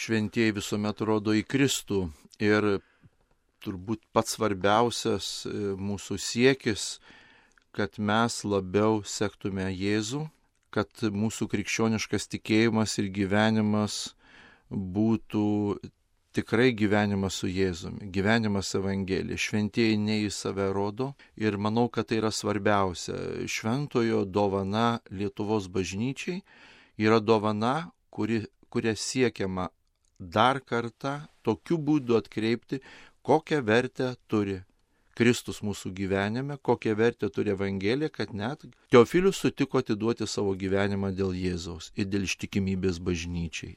šventieji visuomet rodo į Kristų ir turbūt pats svarbiausias mūsų siekis, kad mes labiau sektume Jėzų, kad mūsų krikščioniškas tikėjimas ir gyvenimas būtų tikrai gyvenimas su Jėzumi, gyvenimas Evangelija. Šventieji ne į save rodo ir manau, kad tai yra svarbiausia. Šventojo dovana Lietuvos bažnyčiai yra dovana, kuria siekiama dar kartą tokiu būdu atkreipti, kokią vertę turi Kristus mūsų gyvenime, kokią vertę turi Evangelija, kad net Teofilius sutiko atiduoti savo gyvenimą dėl Jėzaus ir dėl ištikimybės bažnyčiai.